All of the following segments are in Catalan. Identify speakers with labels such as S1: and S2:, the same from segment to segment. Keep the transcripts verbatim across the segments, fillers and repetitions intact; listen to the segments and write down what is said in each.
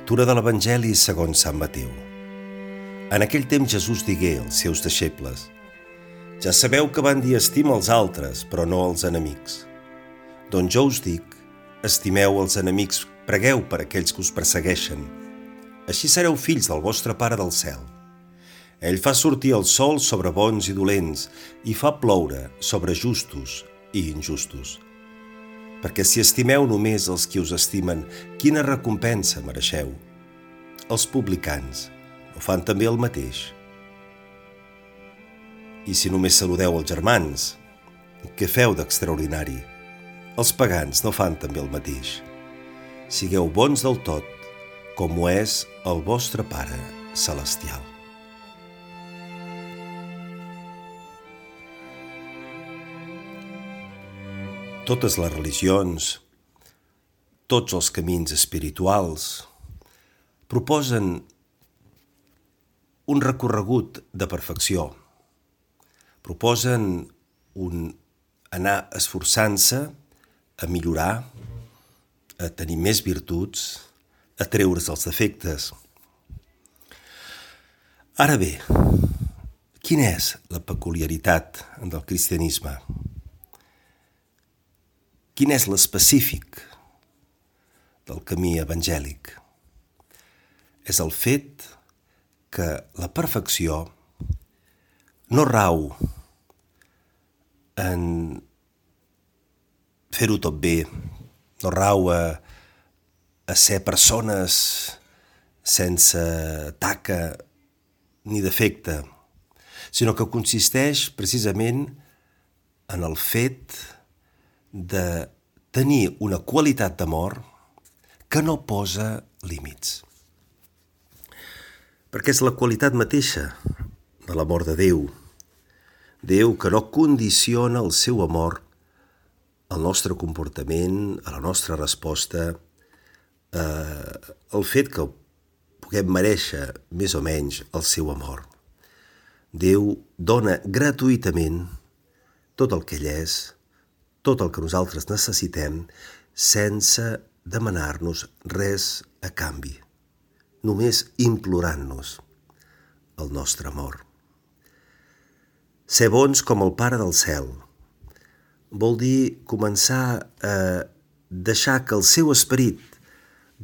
S1: Lectura de l'Evangeli segons Sant Mateu. En aquell temps Jesús digué als seus deixebles: Ja sabeu que van dir estima els altres, però no els enemics. Doncs jo us dic, estimeu els enemics, pregueu per aquells que us persegueixen. Així sereu fills del vostre Pare del cel. Ell fa sortir el sol sobre bons i dolents i fa ploure sobre justos i injustos. Perquè si estimeu només els qui us estimen, quina recompensa mereixeu? Els publicans no fan també el mateix? I si només saludeu els germans, què feu d'extraordinari? Els pagans no fan també el mateix? Sigueu bons del tot, com ho és el vostre Pare celestial. Totes les religions, tots els camins espirituals, proposen un recorregut de perfecció. Proposen un anar esforçant-se a millorar, a tenir més virtuts, a treure's els defectes. Ara bé, quina és la peculiaritat del cristianisme? Quin és l'específic del camí evangèlic? És el fet que la perfecció no rau en fer-ho tot bé, no rau a, a ser persones sense taca ni defecte, sinó que consisteix precisament en el fet de tenir una qualitat d'amor que no posa límits. Perquè és la qualitat mateixa de l'amor de Déu. Déu que no condiciona el seu amor al nostre comportament, a la nostra resposta, eh, el fet que puguem merèixer més o menys el seu amor. Déu dona gratuïtament tot el que ell és, tot el que nosaltres necessitem, sense demanar-nos res a canvi, només implorant-nos el nostre amor. Ser bons com el Pare del cel vol dir començar a deixar que el seu esperit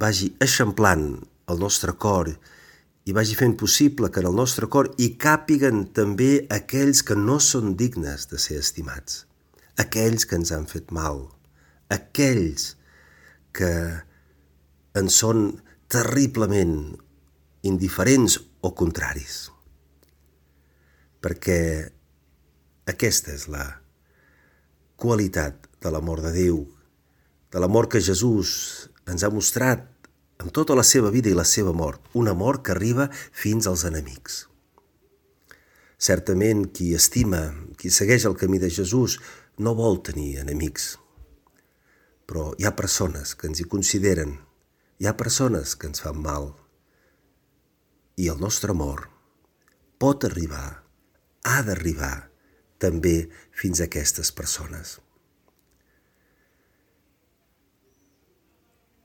S1: vagi eixamplant el nostre cor i vagi fent possible que en el nostre cor hi càpiguen també aquells que no són dignes de ser estimats, aquells que ens han fet mal, aquells que ens són terriblement indiferents o contraris. Perquè aquesta és la qualitat de l'amor de Déu, de l'amor que Jesús ens ha mostrat amb tota la seva vida i la seva mort, un amor que arriba fins als enemics. Certament, qui estima, qui segueix el camí de Jesús, no vol tenir enemics, però hi ha persones que ens hi consideren, hi ha persones que ens fan mal, i el nostre amor pot arribar, ha d'arribar també fins a aquestes persones.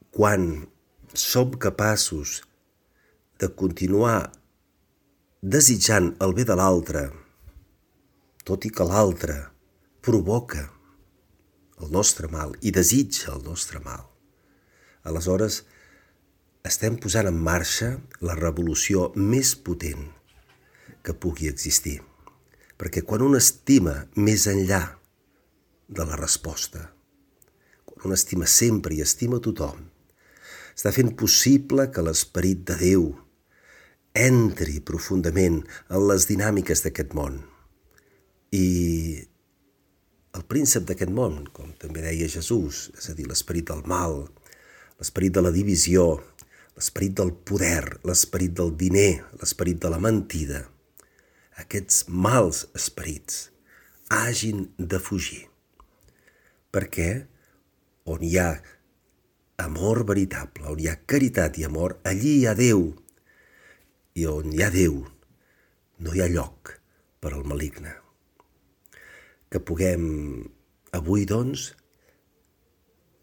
S1: Quan som capaços de continuar desitjant el bé de l'altre, tot i que l'altre provoca el nostre mal i desitja el nostre mal, aleshores estem posant en marxa la revolució més potent que pugui existir. Perquè quan un estima més enllà de la resposta, quan un estima sempre i estima tothom, està fent possible que l'esperit de Déu entri profundament en les dinàmiques d'aquest món. I el príncep d'aquest món, com també deia Jesús, és a dir, l'esperit del mal, l'esperit de la divisió, l'esperit del poder, l'esperit del diner, l'esperit de la mentida, aquests mals esperits hagin de fugir. Perquè on hi ha amor veritable, on hi ha caritat i amor, allí hi ha Déu. I on hi ha Déu, no hi ha lloc per al maligne. Que puguem avui, doncs,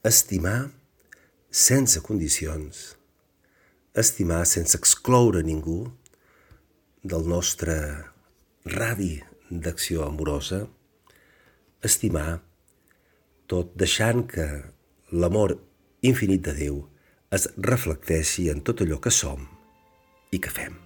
S1: estimar sense condicions, estimar sense excloure ningú del nostre radi d'acció amorosa, estimar tot deixant que l'amor infinit de Déu es reflecteixi en tot allò que som i que fem.